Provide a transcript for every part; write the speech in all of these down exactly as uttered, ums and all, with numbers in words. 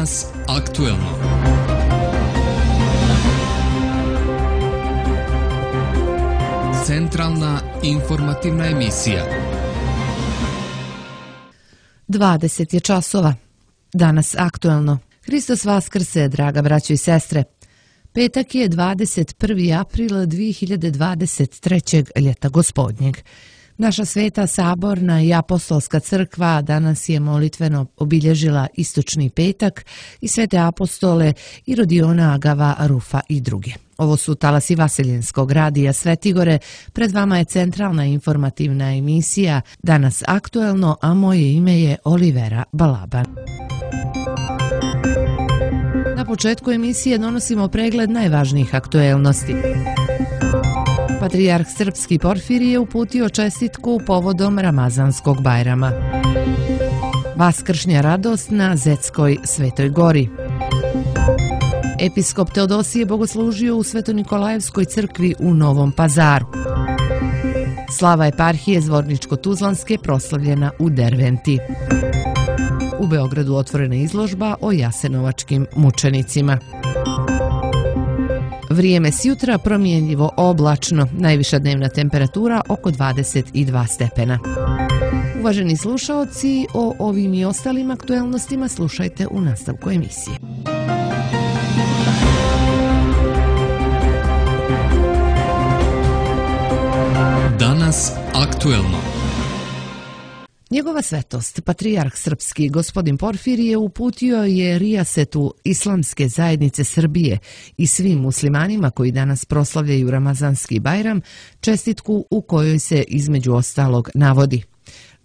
Danas aktuelno. Centralna informativna emisija. dvadeset je časova. Danas aktuelno. Hristos vaskrse, draga braćo i sestre. Petak je dvadeset prvi april dvije hiljade dvadeset trećeg. ljeta gospodnjeg. Naša sveta saborna i apostolska crkva danas je molitveno obilježila istočni petak i svete apostole i Rodiona, Agava, Rufa i druge. Ovo su talasi Vaseljenskog radija Svetigore. Pred vama je centralna informativna emisija Danas aktuelno, a moje ime je Olivera Balaban. Na početku emisije donosimo pregled najvažnijih aktuelnosti. Patrijarh srpski Porfirije je uputio čestitku povodom Ramazanskog Bajrama. Vaskršnja radost na Zetskoj Svetoj Gori. Episkop Teodosije bogoslužio u Sveto-Nikolajevskoj crkvi u Novom Pazaru. Slava eparhije Zvorničko-Tuzlanske proslavljena u Derventi. U Beogradu otvorena izložba o jasenovačkim mučenicima. Vrijeme s jutra promjenjivo oblačno, najviša dnevna temperatura oko dvadeset dva stepena. Uvaženi slušaoci, o ovim i ostalim aktuelnostima slušajte u nastavku emisije. Danas aktuelno. Njegova svetost, patrijarh srpski gospodin Porfirije, uputio je rijasetu Islamske zajednice Srbije i svim muslimanima koji danas proslavljaju Ramazanski Bajram čestitku u kojoj se između ostalog navodi: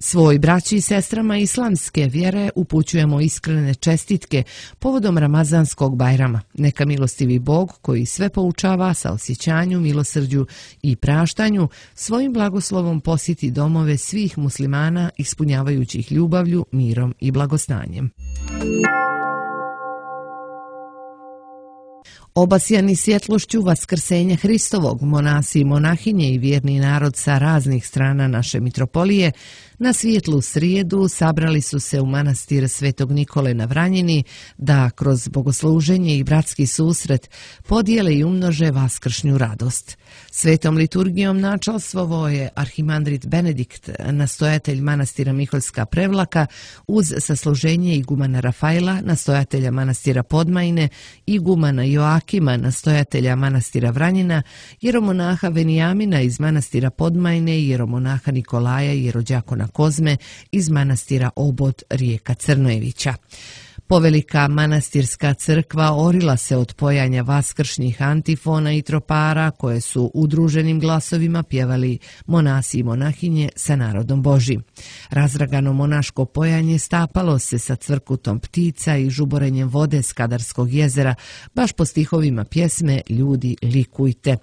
svoj braći i sestrama islamske vjere upućujemo iskrene čestitke povodom Ramazanskog Bajrama. Neka milostivi Bog, koji sve poučava sa osjećanju, milosrđu i praštanju, svojim blagoslovom posjeti domove svih muslimana ispunjavajući ih ljubavlju, mirom i blagostanjem. Obasjani svjetlošću vaskrsenja Hristovog, monasi i monahinje i vjerni narod sa raznih strana naše mitropolije na svijetlu srijedu sabrali su se u manastir Svetog Nikole na Vranjini da kroz bogosluženje i bratski susret podijele i umnože vaskršnju radost. Svetom liturgijom načalstvovao je arhimandrit Benedikt, nastojatelj manastira Miholjska Prevlaka, uz sasluženje igumana Rafaela, nastojatelja manastira Podmajine, igumana Joakima, nastojatelja manastira Vranjina, jeromonaha Venijamina iz manastira Podmajne i jeromonaha Nikolaja i jerođakona Kozme iz manastira Obod Rijeka Crnojevića. Povelika manastirska crkva orila se od pojanja vaskršnjih antifona i tropara koje su udruženim glasovima pjevali monasi i monahinje sa narodom Božim. Razragano monaško pojanje stapalo se sa cvrkutom ptica i žuborenjem vode s Kadarskog jezera, baš po stihovima pjesme Ljudi likujte.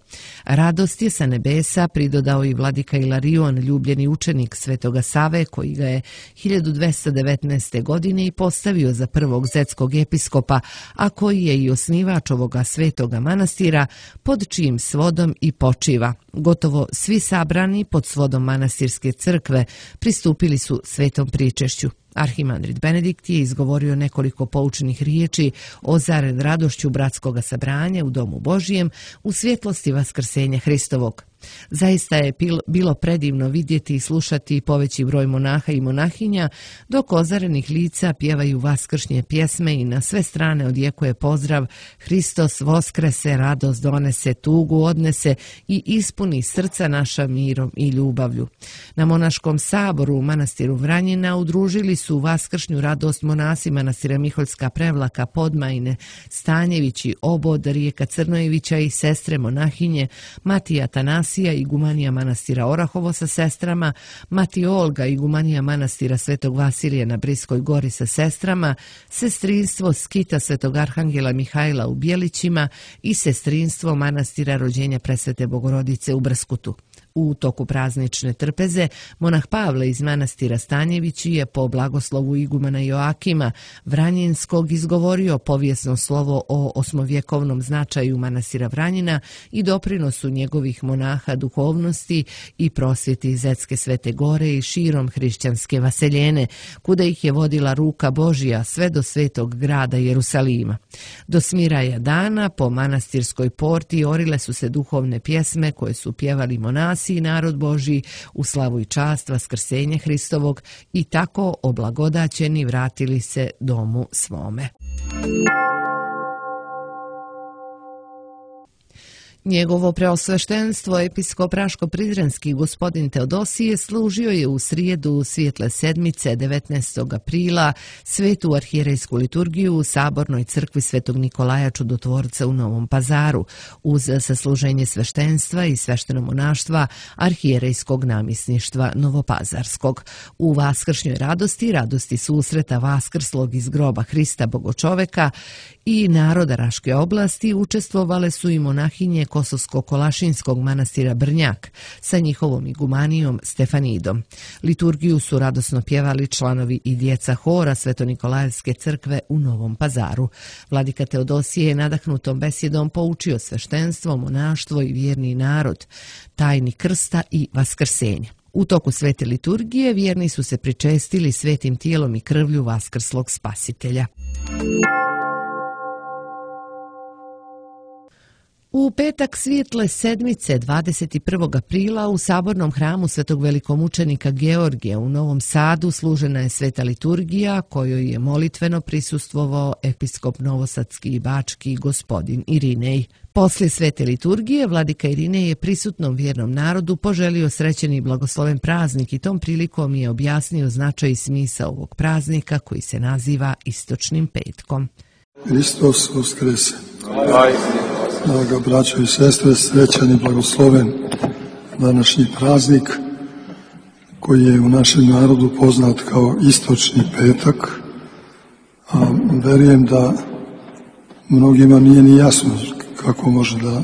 Radost je sa nebesa pridodao i vladika Ilarion, ljubljeni učenik Svetoga Save, koji ga je hiljadu dvesta devetnaeste. godine i postavio za prvog zetskog episkopa, a koji je i osnivač ovoga svetoga manastira, pod čijim svodom i počiva. Gotovo svi sabrani pod svodom manastirske crkve pristupili su svetom pričešću. Arhimandrit Benedikt je izgovorio nekoliko poučenih riječi ozaren radošću bratskoga sabranja u Domu Božijem u svjetlosti vaskrsenja Hristovog. Zaista je bilo predivno vidjeti i slušati poveći broj monaha i monahinja, dok ozarenih lica pjevaju vaskršnje pjesme i na sve strane odjekuje pozdrav Hristos voskrese, radost donese, tugu odnese i ispuni srca naša mirom i ljubavlju. Na monaškom saboru u manastiru Vranjina udružili su vaskršnju radost monasi manastira Miholjska Prevlaka, Podmajne, Stanjevići, Obod, Rijeka Crnojevića i sestre monahinje Matija Tanasija, igumanija manastira Orahovo sa sestrama, Mati Olga, igumanija manastira Svetog Vasilija na Briskoj gori sa sestrama, sestrinstvo skita Svetog Arhangela Mihajla u Bjelićima i sestrinstvo manastira Rođenja Presvete Bogorodice u Brskutu. U toku praznične trpeze, monah Pavle iz manastira Stanjevići je po blagoslovu igumana Joakima Vranjinskog izgovorio povijesno slovo o osmovjekovnom značaju manastira Vranjina i doprinosu njegovih monaha duhovnosti i prosvjeti Zetske Svete Gore i širom hrišćanske vaseljene, kuda ih je vodila ruka Božja sve do svetog grada Jerusalima. Do smiraja dana po manastirskoj porti orile su se duhovne pjesme koje su pjevali monasi i narod Božji u slavu i čast Vaskrsenja Hristovog i tako oblagodaćeni vratili se domu svome. Njegovo preosveštenstvo episkop Raško-Prizrenski gospodin Teodosije služio je u srijedu Svijetle sedmice devetnaestog aprila svetu arhijerejsku liturgiju u Sabornoj crkvi Svetog Nikolaja Čudotvorca u Novom Pazaru uz sasluženje sveštenstva i sveštenomonaštva arhijerejskog namjesništva Novopazarskog. U vaskršnjoj radosti, radosti susreta vaskrslog iz groba Hrista Bogočoveka i naroda Raške oblasti učestvovale su i monahinje Kosovsko-Kolašinskog manastira Brnjak sa njihovom igumanijom Stefanidom. Liturgiju su radosno pjevali članovi i djeca hora Sveto-Nikolajevske crkve u Novom Pazaru. Vladika Teodosije je nadahnutom besjedom poučio sveštenstvo, monaštvo i vjerni narod, tajni krsta i vaskrsenja. U toku svete liturgije vjerni su se pričestili svetim tijelom i krvlju vaskrslog spasitelja. U petak Svijetle sedmice dvadeset prvog aprila u Sabornom hramu Svetog velikomučenika Georgija u Novom Sadu služena je sveta liturgija kojoj je molitveno prisustvovao episkop novosadski i bački gospodin Irinej. Poslije svete liturgije vladika Irinej je prisutnom vjernom narodu poželio srećen i blagosloven praznik i tom prilikom je objasnio značaj i smisao ovog praznika koji se naziva Istočnim petkom. Hristos Voskrese. Draga braćo i sestre, srećan i blagosloven današnji praznik koji je u našem narodu poznat kao Istočni petak, a verujem da mnogima nije ni jasno kako može da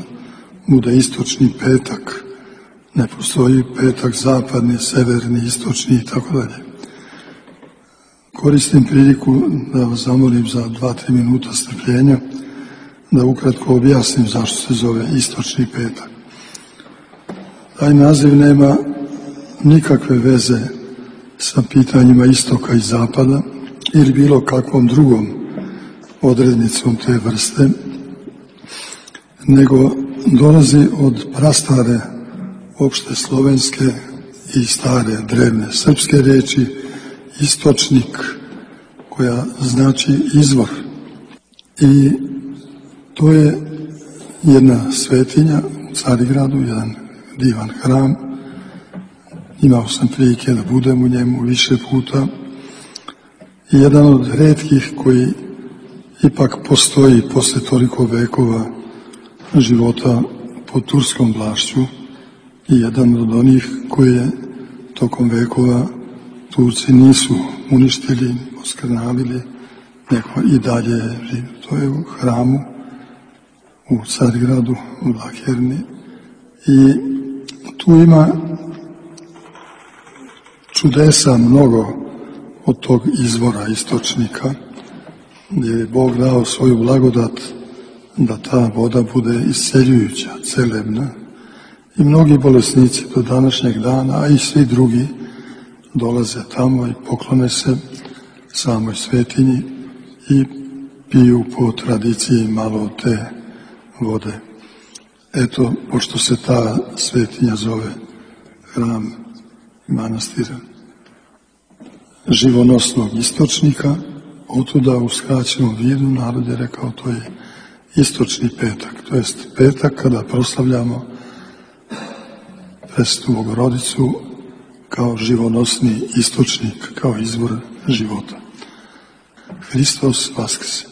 bude Istočni petak. Ne postoji petak zapadni, severni, istočni i tako dalje. Koristim priliku da vas zamolim za dva, tri minuta strpljenja da ukratko objasnim zašto se zove Istočni petak. Taj naziv nema nikakve veze sa pitanjima istoka i zapada ili bilo kakvom drugom odrednicom te vrste, nego dolazi od prastare opšte slovenske i stare drevne srpske riječi istočnik, koja znači izvor. I to je jedna svetinja u Carigradu, jedan divan hram. Imao sam prilike da budem u njemu više puta. I jedan od retkih koji ipak postoji posle toliko vekova života pod turskom vlašću i jedan od onih koje tokom vekova Turci nisu uništili, oskrnavili, nego i dalje. To je u hramu u Carigradu, u Lakerni. I tu ima čudesa mnogo od tog izvora istočnika, gdje je Bog dao svoju blagodat da ta voda bude isceljujuća, celebna. I mnogi bolesnici do današnjeg dana, a i svi drugi, dolaze tamo i poklone se samoj svetinji i piju po tradiciji malo od te vode. Eto, pošto se ta svetinja zove hram manastira živonosnog istočnika, otuda u skraćenom vidu narod je rekao to je Istočni petak, to jest petak kada proslavljamo Presvetu Bogorodicu kao živonosni istočnik, kao izvor života. Hristos Vaskrse.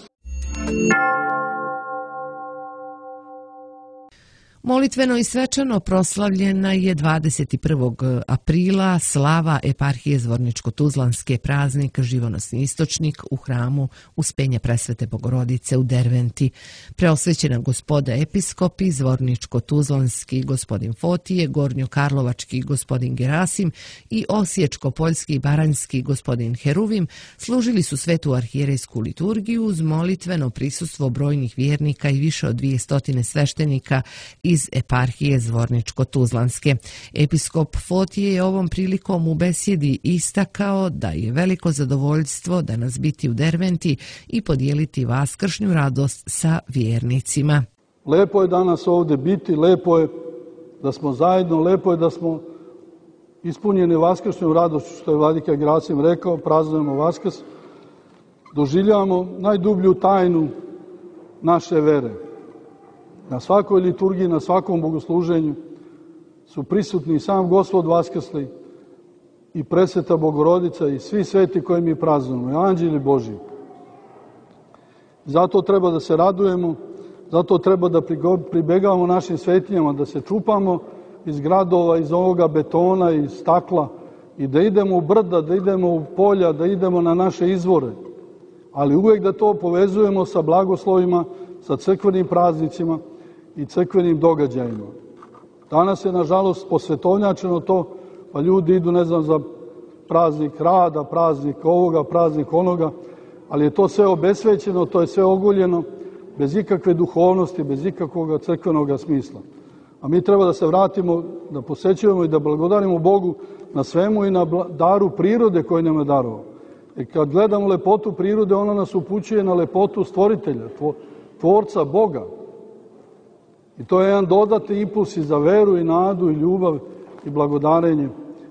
Molitveno i svečano proslavljena je dvadeset prvog aprila slava eparhije Zvorničko-Tuzlanske, praznik Živonosni istočnik u hramu Uspenja Presvete Bogorodice u Derventi. Preosvećena gospoda episkopi Zvorničko-Tuzlanski gospodin Fotije, Gornjokarlovački gospodin Gerasim i Osječko-Poljski i Baranjski gospodin Heruvim služili su svetu arhijerejsku liturgiju uz molitveno prisustvo brojnih vjernika i više od dvije stotine sveštenika iz eparhije Zvorničko-Tuzlanske. Episkop Fotije je ovom prilikom u besjedi istakao da je veliko zadovoljstvo danas biti u Derventi i podijeliti vaskršnju radost sa vjernicima. Lepo je danas ovdje biti, lepo je da smo zajedno, lepo je da smo ispunjeni vaskršnjom radošću, što je vladika Gerasim rekao, praznujemo Vaskrs, doživljavamo najdublju tajnu naše vere. Na svakoj liturgiji, na svakom bogosluženju su prisutni sam Gospod Vaskrsli i Presveta Bogorodica i svi sveti koje mi praznujemo, i anđeli Božji. Zato treba da se radujemo, zato treba da pribegavamo našim svetinjama, da se čupamo iz gradova, iz ovoga betona, iz stakla i da idemo u brda, da idemo u polja, da idemo na naše izvore. Ali uvijek da to povezujemo sa blagoslovima, sa crkvenim praznicima i crkvenim događajima. Danas je, nažalost, posvetovnjačeno to, pa ljudi idu, ne znam, za praznik rada, praznik ovoga, praznik onoga, ali je to sve obesvećeno, to je sve ogoljeno, bez ikakve duhovnosti, bez ikakvog crkvenog smisla. A mi treba da se vratimo, da posećujemo i da blagodarimo Bogu na svemu i na daru prirode koju nam je darovao. I kad gledamo lepotu prirode, ona nas upućuje na lepotu stvoritelja, tvorca Boga. I to je jedan dodatni impuls i za veru i nadu i ljubav i blagodarenje.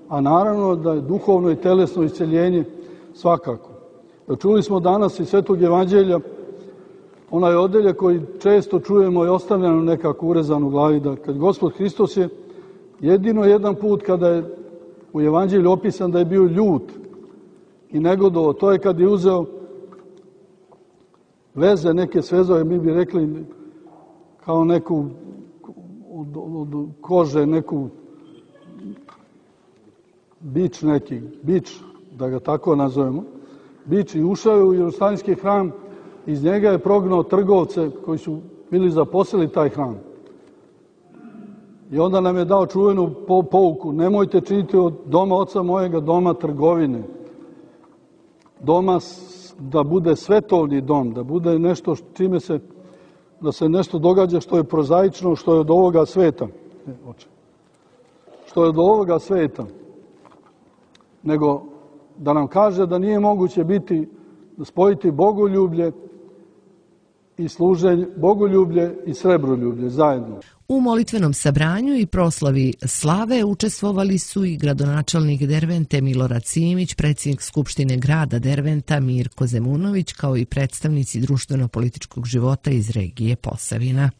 A naravno da je duhovno i telesno isceljenje svakako. Čuli smo danas iz Svetog evanđelja onaj odeljak koji često čujemo i ostavljamo nekako urezan u glavi, da kad Gospod Hristos je jedino jedan put kada je u evanđelju opisan da je bio ljut i negodovo, to je kad je uzeo veze, neke svezove, mi bi rekli kao neku od, od kože, neku bič neki, bič, da ga tako nazovemo, bič, i ušao je u Jerusalimski hram, iz njega je prognao trgovce koji su bili zaposlili taj hram. I onda nam je dao čuvenu pouku, nemojte činiti od doma oca mojega doma trgovine. Doma da bude svetovni dom, da bude nešto čime se, da se nešto događa što je prozaično, što je od ovoga sveta. Ne, oče. Što je od ovoga sveta. Nego da nam kaže da nije moguće biti, spojiti bogoljublje i služenje, bogoljublje i srebroljublje zajedno. U molitvenom sabranju i proslavi slave učestvovali su i gradonačelnik Dervente Milorad Simić, predsjednik Skupštine grada Derventa Mirko Zemunović, kao i predstavnici društveno-političkog života iz regije Posavina.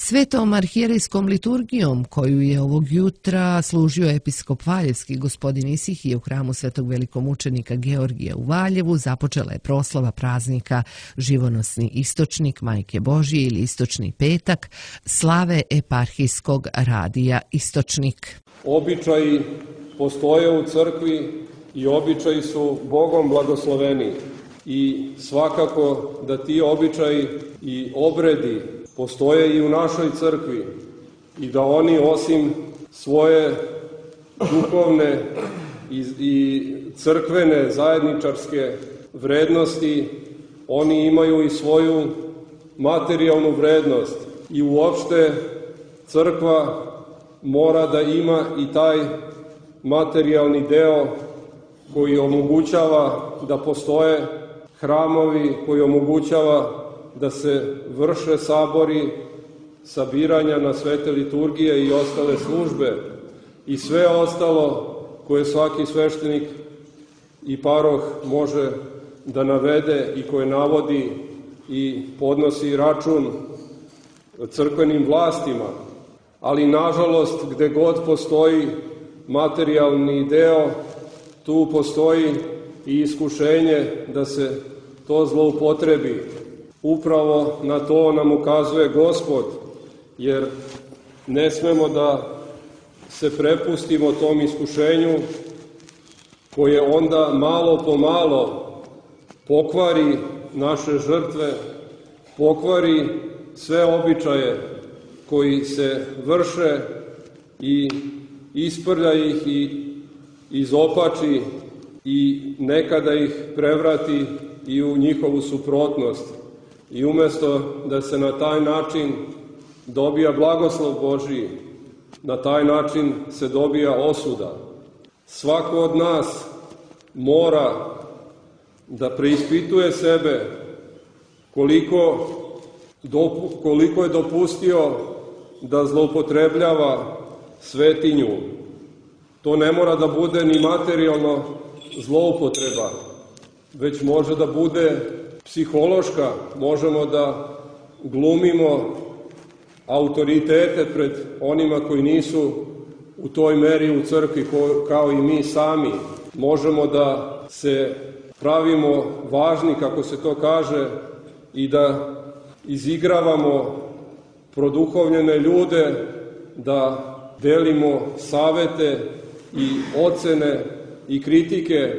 Svetom arhijerejskom liturgijom, koju je ovog jutra služio episkop Valjevski gospodin Isihije u hramu Svetog velikomučenika Georgija u Valjevu, započela je proslava praznika Živonosni istočnik Majke Božije ili Istočni petak, slave eparhijskog radija Istočnik. Običaji postoje u crkvi i običaji su Bogom blagosloveni i svakako da ti običaji i obredi postoje i u našoj crkvi i da oni osim svoje duhovne i, i crkvene zajedničarske vrednosti, oni imaju i svoju materijalnu vrednost i uopšte crkva mora da ima i taj materijalni deo koji omogućava da postoje hramovi, koji omogućava da se vrše sabori, sabiranja na svete liturgije i ostale službe i sve ostalo koje svaki sveštenik i paroh može da navede i koje navodi i podnosi račun crkvenim vlastima. Ali nažalost gde god postoji materijalni deo, tu postoji i iskušenje da se to zloupotrebi. Upravo na to nam ukazuje Gospod, jer ne smemo da se prepustimo tom iskušenju koje onda malo po malo pokvari naše žrtve, pokvari sve običaje koji se vrše i isprlja ih i izopači i nekada ih prevrati i u njihovu suprotnost. I umesto da se na taj način dobija blagoslov Božiji, na taj način se dobija osuda. Svako od nas mora da preispituje sebe koliko, dopu, koliko je dopustio da zloupotrebljava svetinju. To ne mora da bude ni materijalno zloupotreba, već može da bude psihološka. Možemo da glumimo autoritete pred onima koji nisu u toj meri u crkvi kao i mi sami. Možemo da se pravimo važni, kako se to kaže, i da izigravamo produhovljene ljude, da delimo savete i ocene i kritike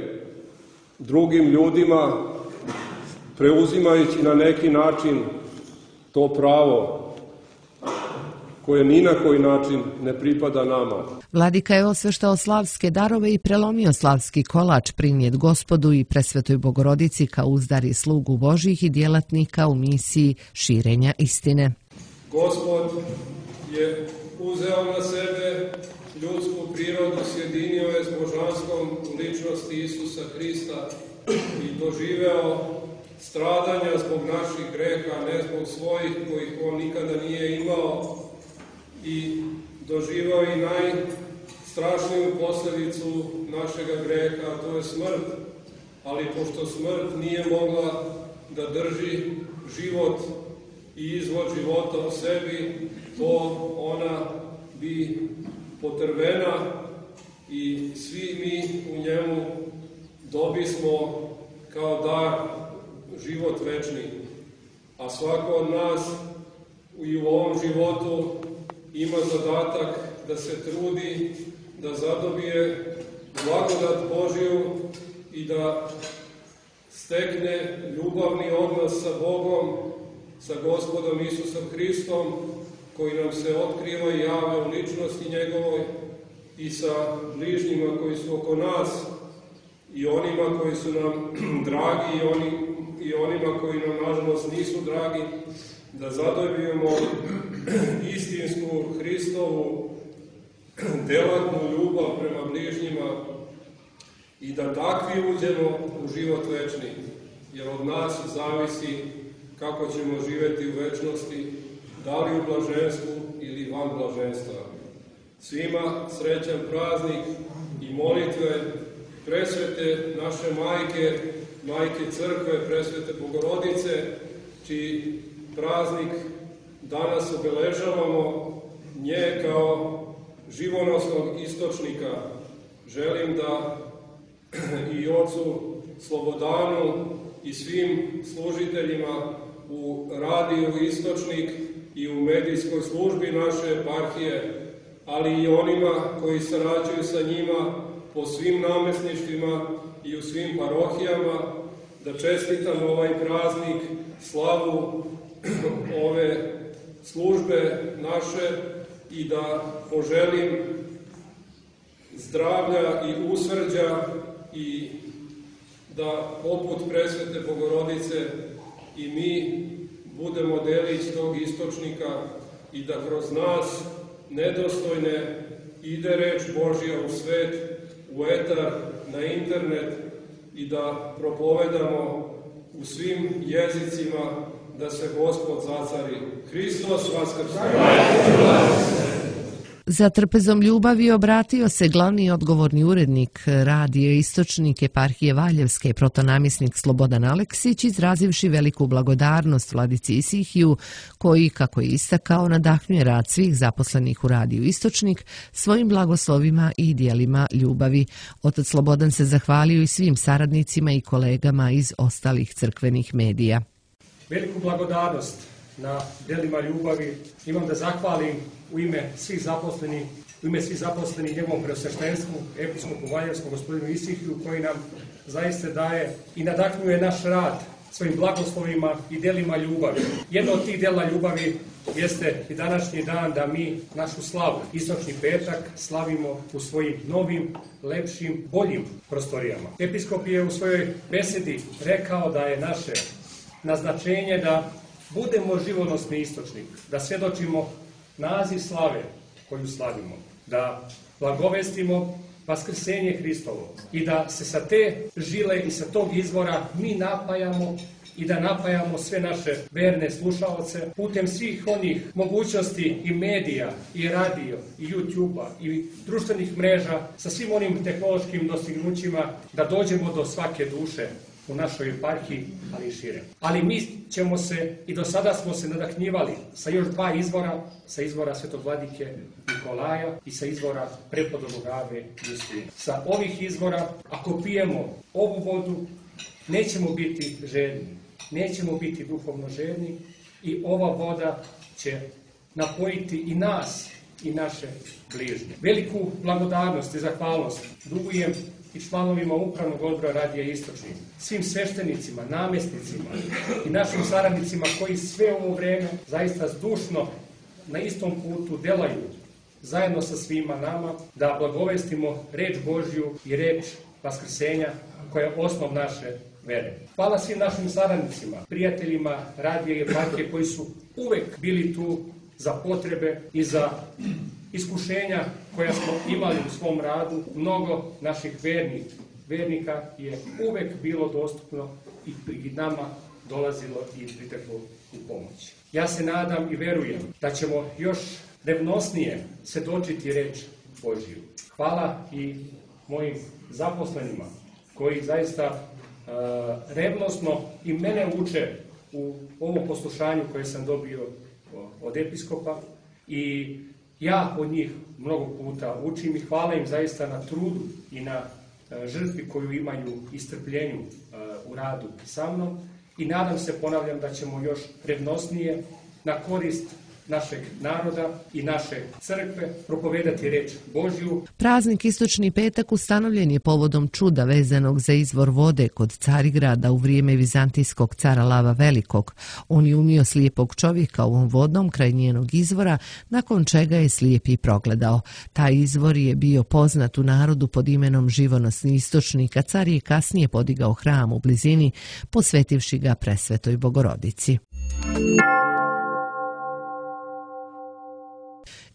drugim ljudima, preuzimajući na neki način to pravo koje ni na koji način ne pripada nama. Vladika je osveštao slavske darove i prelomio slavski kolač prinijet Gospodu i Presvetoj Bogorodici kao uzdar i slugu Božjih i djelatnika u misiji širenja istine. Gospod je uzeo na sebe ljudsku prirodu, sjedinio je s božanskom ličnosti Isusa Hrista i doživeo stradanja zbog naših greha, ne zbog svojih kojih on nikada nije imao, i doživao i najstrašniju posljedicu našega greha, a to je smrt. Ali pošto smrt nije mogla da drži život i izvod života u sebi, to ona bi potrvena i svi mi u njemu dobismo kao dar život večni. A svako od nas i u ovom životu ima zadatak da se trudi, da zadobije blagodat Božiju i da stekne ljubavni odnos sa Bogom, sa Gospodom Isusom Hristom, koji nam se otkriva i javlja u ličnosti njegovoj, i sa bližnjima koji su oko nas, i onima koji su nam dragi i, oni, i onima koji nam nažalost nisu dragi, da zadobijemo istinsku Hristovu delatnu ljubav prema bližnjima i da takvi uđemo u život večni, jer od nas zavisi kako ćemo živjeti u večnosti, da li u blaženstvu ili van blaženstva. Svima srećan praznik i molitve presvete naše majke, majke crkve, presvete Bogorodice, čiji praznik danas obeležavamo, nje kao živonosnog istočnika. Želim da i ocu Slobodanu i svim služiteljima u radiju Istočnik i u medijskoj službi naše eparhije, ali i onima koji sarađuju sa njima po svim namesništvima i u svim parohijama, da čestitam ovaj praznik, slavu ove službe naše i da poželim zdravlja i usrđa i da poput presvete Bogorodice i mi budemo delić tog istočnika i da kroz nas nedostojne ide reč Božja u svet, u etar, na internet i da propovedamo u svim jezicima da se Gospod zacari. Hristos vaskrse! Za trpezom ljubavi obratio se glavni odgovorni urednik radija Istočnik eparhije Valjevske, protonamjesnik Slobodan Aleksić, izrazivši veliku blagodarnost vladici Isihiju, koji, kako je istakao, nadahnjuje rad svih zaposlenih u radiju Istočnik svojim blagoslovima i dijelima ljubavi. Otac Slobodan se zahvalio i svim saradnicima i kolegama iz ostalih crkvenih medija. Veliku blagodarnost na delima ljubavi imam da zahvalim u ime svih zaposlenih, u ime svih zaposlenih njegovom preosveštenstvu, episkopu Valjarskom, gospodinu Isihiju, koji nam zaista daje i nadahnjuje naš rad svojim blagoslovima i delima ljubavi. Jedno od tih dela ljubavi jeste i današnji dan da mi našu slavu, istočni petak, slavimo u svojim novim, lepšim, boljim prostorijama. Episkop je u svojoj besedi rekao da je naše naznačenje da budemo živonosni istočnik, da svjedočimo naziv slave koju slavimo, da blagovestimo vaskrsenje Hristovo i da se sa te žile i sa tog izvora mi napajamo i da napajamo sve naše verne slušaoce putem svih onih mogućnosti i medija, i radio, i YouTube-a, i društvenih mreža, sa svim onim tehnološkim dostignućima da dođemo do svake duše u našoj eparhiji, ali i šire. Ali mi ćemo se, i do sada smo se nadahnjivali sa još dva izvora, sa izvora Svetog vladike Nikolaja i sa izvora prepodobnog Ave Justina. Sa ovih izvora, ako pijemo ovu vodu, nećemo biti žedni, nećemo biti duhovno žedni i ova voda će napojiti i nas i naše bližnje. Veliku blagodarnost i zahvalnost dugujem i članovima upravnog odbora Radija Istočni, svim sveštenicima, namjesnicima i našim saradnicima koji sve ovo vreme zaista zdušno na istom putu delaju zajedno sa svima nama da blagovestimo reč Božju i reč vaskrsenja koja je osnov naše vere. Hvala svim našim saradnicima, prijateljima Radija i eparhije koji su uvek bili tu za potrebe i za iskušenja koja smo imali u svom radu. Mnogo naših vernih, vernika je uvek bilo dostupno i, i nama dolazilo i priteklo u pomoć. Ja se nadam i verujem da ćemo još revnosnije svjedočiti reč Božju. Hvala i mojim zaposlenima koji zaista uh, revnosno i mene uče u ovom poslušanju koje sam dobio od episkopa i ja od njih mnogo puta učim i hvala im zaista na trudu i na žrtvi koju imaju i strpljenju u radu sa mnom i nadam se, ponavljam, da ćemo još revnosnije na korist našeg naroda i naše crkve propovedati reč Božju. Praznik Istočni petak ustanovljen je povodom čuda vezanog za izvor vode kod Carigrada u vrijeme vizantijskog cara Lava Velikog. On je umio slijepog čovjeka ovom vodom kraj njenog izvora, nakon čega je slijepi progledao. Taj izvor je bio poznat u narodu pod imenom Živonosni istočnik, a car je kasnije podigao hram u blizini, posvetivši ga Presvetoj Bogorodici.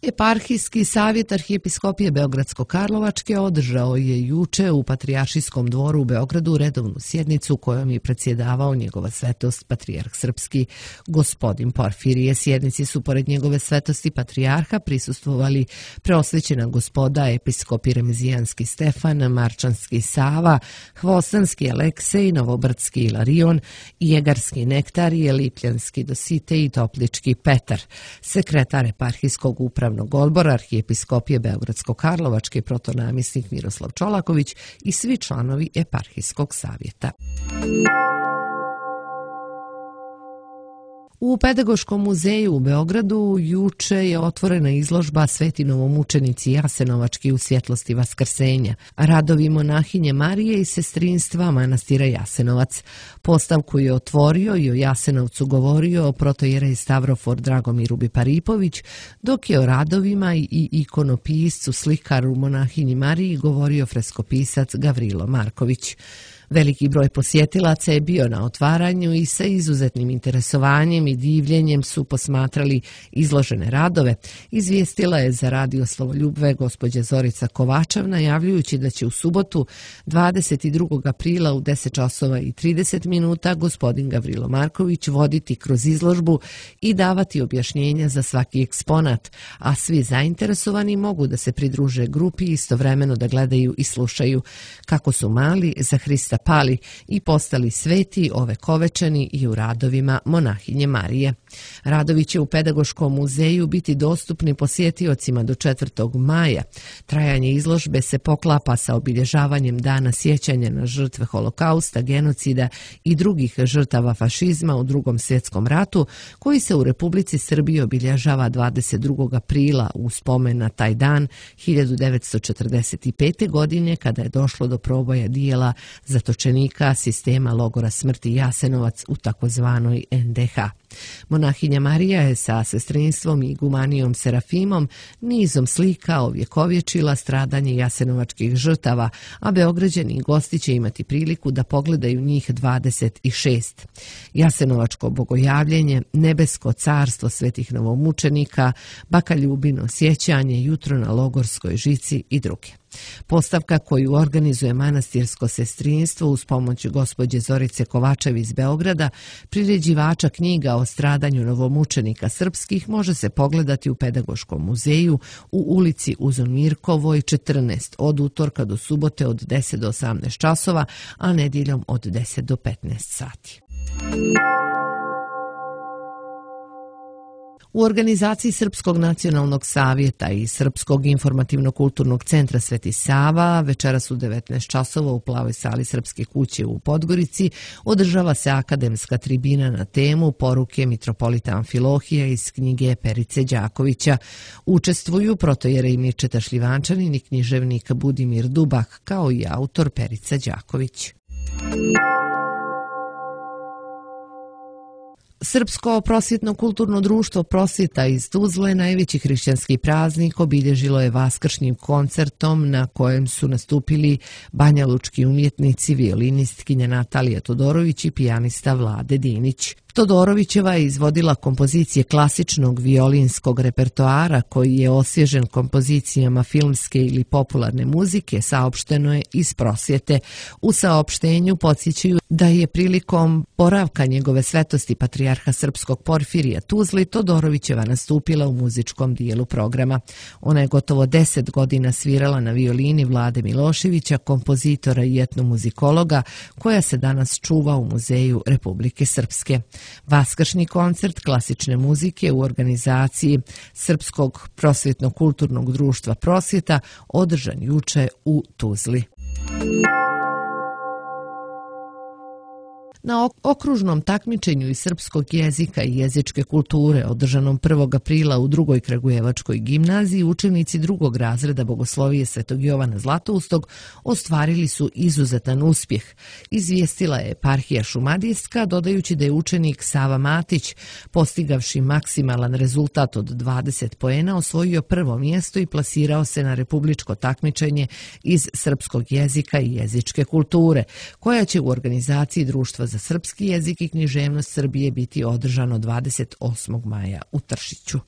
Eparhijski savjet Arhijepiskopije Beogradsko-Karlovačke održao je juče u Patrijaršijskom dvoru u Beogradu redovnu sjednicu kojom je predsjedavao njegova svetost Patrijarh Srpski gospodin Porfirije. Sjednici su pored njegove svetosti Patrijarha prisustvovali preosvećena gospoda episkopi Remezijanski Stefan, Marčanski Sava, Hvostanski Aleksej, Novobrdski Ilarion, Jegarski Nektarije, Lipljanski Dosite i Toplički Petar. Sekretar eparhijskog upravnog odbora Arhijepiskopije Beogradsko-Karlovačke protonamjesnik Miroslav Čolaković i svi članovi eparhijskog savjeta. U Pedagoškom muzeju u Beogradu juče je otvorena izložba Sveti novomučenici Jasenovački u svjetlosti vaskrsenja, radovi monahinje Marije i sestrinstva manastira Jasenovac. Postavku je otvorio i o Jasenovcu govorio protojerej Stavrofor Dragomir Biparipović, dok je o radovima i ikonopiscu slikaru monahinji Mariji govorio freskopisac Gavrilo Marković. Veliki broj posjetilaca je bio na otvaranju i sa izuzetnim interesovanjem i divljenjem su posmatrali izložene radove, izvijestila je za radio Slovoljubve gospođa Zorica Kovačev, najavljujući da će u subotu dvadeset drugog aprila u deset časova i trideset minuta gospodin Gavrilo Marković voditi kroz izložbu i davati objašnjenja za svaki eksponat, a svi zainteresovani mogu da se pridruže grupi i istovremeno da gledaju i slušaju kako su mali za Hrista mjesta pali i postali sveti ovekovečeni i u radovima monahinje Marije. Radovi će u Pedagoškom muzeju biti dostupni posjetiocima do četvrtog maja. Trajanje izložbe se poklapa sa obilježavanjem Dana sjećanja na žrtve holokausta, genocida i drugih žrtava fašizma u Drugom svjetskom ratu, koji se u Republici Srbiji obilježava dvadeset drugog aprila u spomen na taj dan hiljadu devetsto četrdeset pete. godine, kada je došlo do proboja dijela zatočenika sistema logora smrti Jasenovac u takozvanoj en de ha. Monahinja Marija je sa sestrinstvom i igumanijom Serafimom nizom slika ovjekovječila stradanje jasenovačkih žrtava, a Beograđani i gosti će imati priliku da pogledaju njih dvadeset šest. Jasenovačko bogojavljenje, nebesko carstvo svetih novomučenika, baka Ljubino sjećanje, jutro na logorskoj žici i druge. Postavka koju organizuje manastirsko sestrinstvo uz pomoć gospođe Zorice Kovačev iz Beograda, priređivača knjiga o stradanju novomučenika srpskih, može se pogledati u Pedagoškom muzeju u ulici Uzon Mirkovoj četrnaest od utorka do subote od deset do osamnaest časova, a nedjeljom od deset do petnaest sati. U organizaciji Srpskog nacionalnog savjeta i Srpskog informativno-kulturnog centra Sveti Sava večeras u devetnaest časova u Plavoj sali Srpske kuće u Podgorici održava se akademska tribina na temu Poruke mitropolita Amfilohija iz knjige Perice Đakovića. Učestvuju protojerej Mirčeta Šljivančanin i književnik Budimir Dubak, kao i autor Perica Đaković. Srpsko prosvjetno-kulturno društvo Prosvjeta iz Tuzle, najveći hrišćanski praznik, obilježilo je vaskršnjim koncertom na kojem su nastupili banjalučki umjetnici, violinistkinja Natalija Todorović i pijanista Vlade Dinić. Todorovićeva je izvodila kompozicije klasičnog violinskog repertoara koji je osvježen kompozicijama filmske ili popularne muzike, saopšteno je iz Prosvjete. U saopštenju podsjećaju da je prilikom boravka njegove svetosti patrijarha srpskog Porfirija Tuzli Todorovićeva nastupila u muzičkom dijelu programa. Ona je gotovo deset godina svirala na violini Vlade Miloševića, kompozitora i etnomuzikologa, koja se danas čuva u Muzeju Republike Srpske. Vaskršnji koncert klasične muzike u organizaciji Srpskog prosvjetno-kulturnog društva Prosvjeta održan juče u Tuzli. Na okružnom takmičenju iz srpskog jezika i jezičke kulture održanom prvog aprila u drugoj Kragujevačkoj gimnaziji učenici drugog razreda Bogoslovije Svetog Jovana Zlatoustog ostvarili su izuzetan uspjeh, izvijestila je eparhija Šumadijska, dodajući da je učenik Sava Matić, postigavši maksimalan rezultat od dvadeset poena, osvojio prvo mjesto i plasirao se na republičko takmičenje iz srpskog jezika i jezičke kulture, koja će u organizaciji Društva za srpski jezik i književnost Srbije biti održano dvadeset osmog maja u Tršiću.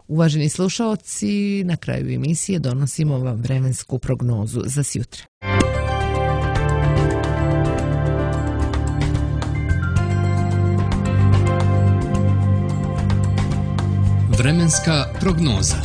Uvaženi slušaoci, na kraju emisije donosimo vam vremensku prognozu za sjutra. Vremenska prognoza.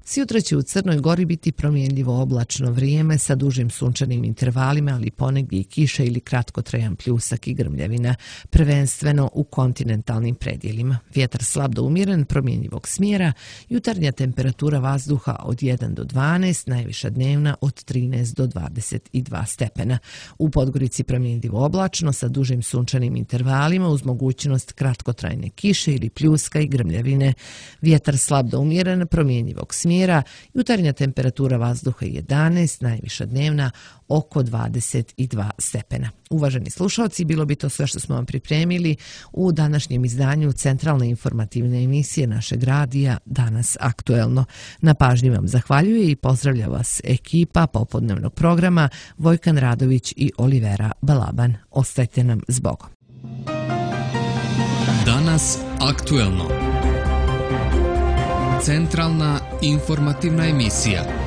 Sjutra će u Crnoj Gori biti promjenljivo oblačno vrijeme sa dužim sunčanim intervalima, ali ponegdje i kiša ili kratkotrajan pljusak i grmljavina, prvenstveno u kontinentalnim predjelima. Vjetar slab do umjeren, promjenjivog smjera, jutarnja temperatura vazduha od jedan do dvanaest, najviša dnevna od trinaest do dvadeset dva stepena. U Podgorici promjenljivo oblačno sa dužim sunčanim intervalima uz mogućnost kratkotrajne kiše ili pljuska i grmljavine. Vjetar slab do umjeren, promjenjivog smjera, jutarnja temperatura vazduha jedanaest, najviša dnevna oko dvadeset dva stepena. Uvaženi slušalci, bilo bi to sve što smo vam pripremili u današnjem izdanju centralne informativne emisije našeg radija Danas aktuelno. Na pažnji vam zahvaljuje i pozdravlja vas ekipa popodnevnog programa Vojkan Radović i Olivera Balaban. Ostajte nam s Bogom. Danas aktuelno. Centralna informativna emisija.